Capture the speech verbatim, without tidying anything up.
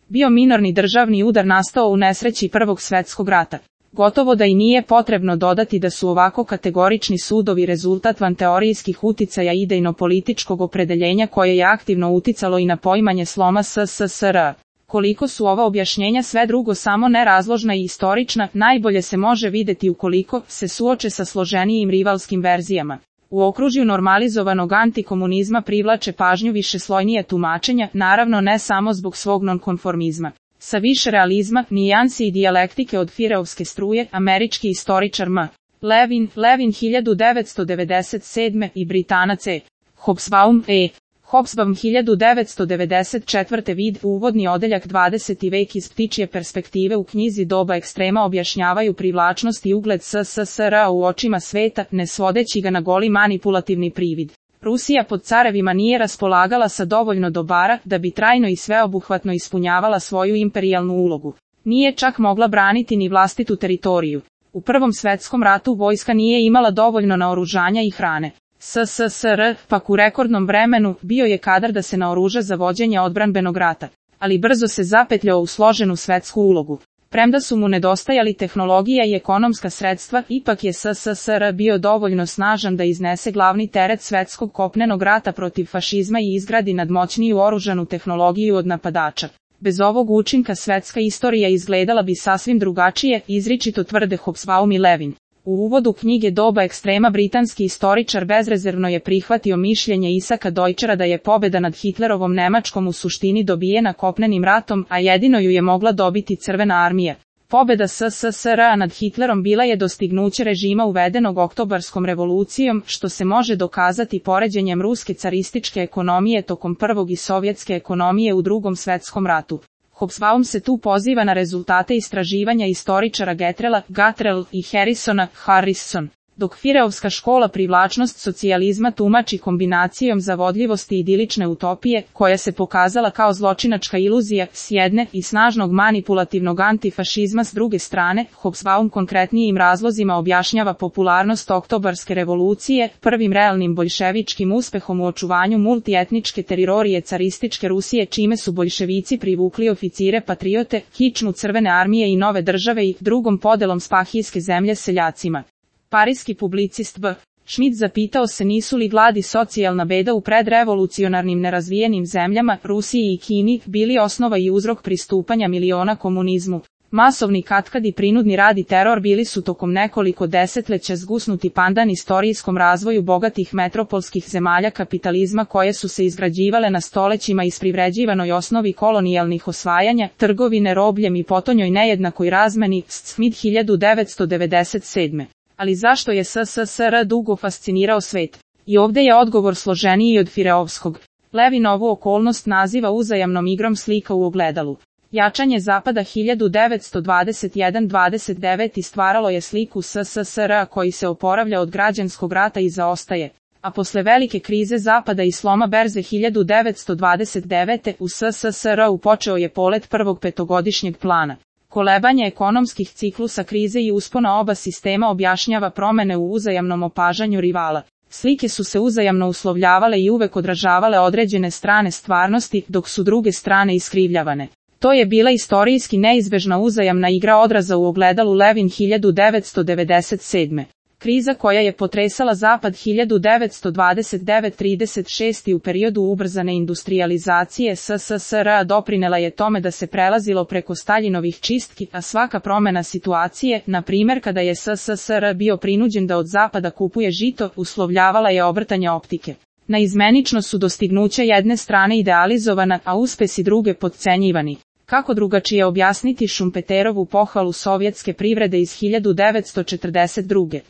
bio minorni državni udar nastao u nesreći Prvog svetskog rata. Gotovo da i nije potrebno dodati da su ovako kategorični sudovi rezultat vanteorijskih uticaja idejno-političkog opredeljenja koje je aktivno uticalo i na poimanje sloma S S S R. Koliko su ova objašnjenja sve drugo samo nerazložna i istorična, najbolje se može videti ukoliko se suoče sa složenijim rivalskim verzijama. U okružju normalizovanog antikomunizma privlače pažnju višeslojnije tumačenja, naravno ne samo zbog svog nonkonformizma. Sa više realizma, nijansi i dijalektike od Fireovske struje, američki istoričar M. Levin, Levin hiljadu devetsto devedeset sedme i Britanac E. Hobsbawm E. Hobsbawm hiljadu devetsto devedeset četvrte vid, uvodni odeljak dvadeseti vek iz ptičje perspektive u knjizi Doba ekstrema objašnjavaju privlačnost i ugled S S S R u očima sveta, ne svodeći ga na goli manipulativni privid. Rusija pod carevima nije raspolagala sa dovoljno dobara da bi trajno i sveobuhvatno ispunjavala svoju imperijalnu ulogu. Nije čak mogla braniti ni vlastitu teritoriju. U Prvom svetskom ratu vojska nije imala dovoljno naoružanja i hrane. S S S R, pak u rekordnom vremenu, bio je kadar da se naoruža za vođenje odbranbenog rata, ali brzo se zapetljao u složenu svetsku ulogu. Premda su mu nedostajali tehnologija i ekonomska sredstva, ipak je S S S R bio dovoljno snažan da iznese glavni teret svetskog kopnenog rata protiv fašizma i izgradi nadmoćniju oružanu tehnologiju od napadača. Bez ovog učinka svetska istorija izgledala bi sasvim drugačije, izričito tvrde Hobsbawm i Levin. U uvodu knjige Doba ekstrema britanski istoričar bezrezervno je prihvatio mišljenje Isaka Deutschera da je pobeda nad Hitlerovom Nemačkom u suštini dobijena kopnenim ratom, a jedino ju je mogla dobiti Crvena armija. Pobeda S S S R nad Hitlerom bila je dostignuće režima uvedenog Oktobarskom revolucijom, što se može dokazati poređenjem ruske carističke ekonomije tokom prvog i sovjetske ekonomije u Drugom svetskom ratu. Hobsbawm se tu poziva na rezultate istraživanja istoričara Getrela, Gatrell i Harrisona, Harrison. Dok Fireovska škola privlačnost socijalizma tumači kombinacijom zavodljivosti i idilične utopije, koja se pokazala kao zločinačka iluzija s jedne i snažnog manipulativnog antifašizma s druge strane, Hobsbawm konkretnijim razlozima objašnjava popularnost Oktobarske revolucije, prvim realnim boljševičkim uspehom u očuvanju multietničke teritorije carističke Rusije čime su boljševici privukli oficire patriote, kičmu Crvene armije i nove države i drugom podelom spahijske zemlje seljacima. Parijski publicist B. Schmidt zapitao se nisu li glad i socijalna beda u predrevolucionarnim nerazvijenim zemljama, Rusiji i Kini, bili osnova i uzrok pristupanja miliona komunizmu. Masovni katkad i prinudni rad i teror bili su tokom nekoliko desetleća zgusnuti pandan istorijskom razvoju bogatih metropolskih zemalja kapitalizma koje su se izgrađivale na stolećima isprivređivanoj osnovi kolonijalnih osvajanja, trgovine robljem i potonjoj nejednakoj razmeni, Smith hiljadu devetsto devedeset sedme. Ali zašto je S S S R dugo fascinirao svet? I ovdje je odgovor složeniji od Fireovskog. Levin ovu okolnost naziva uzajamnom igrom slika u ogledalu. Jačanje Zapada hiljadu devetsto dvadeset jedan dvadeset devet stvaralo je sliku S S S R koji se oporavlja od građanskog rata i zaostaje. A posle velike krize Zapada i sloma berze hiljadu devetsto dvadeset devete u S S S R počeo je polet prvog petogodišnjeg plana. Kolebanje ekonomskih ciklusa krize i uspona oba sistema objašnjava promene u uzajamnom opažanju rivala. Slike su se uzajamno uslovljavale i uvek odražavale određene strane stvarnosti, dok su druge strane iskrivljavane. To je bila istorijski neizbežna uzajamna igra odraza u ogledalu Levin hiljadu devetsto devedeset sedme. Kriza koja je potresala Zapad hiljadu devetsto dvadeset devet trideset šest u periodu ubrzane industrijalizacije S S S R doprinela je tome da se prelazilo preko Staljinovih čistki, a svaka promjena situacije, na primjer kada je S S S R bio prinuđen da od Zapada kupuje žito, uslovljavala je obrtanje optike. Naizmenično su dostignuća jedne strane idealizovana, a uspesi druge potcenjivani. Kako drugačije objasniti Šumpeterovu pohvalu sovjetske privrede iz hiljadu devetsto četrdeset druge.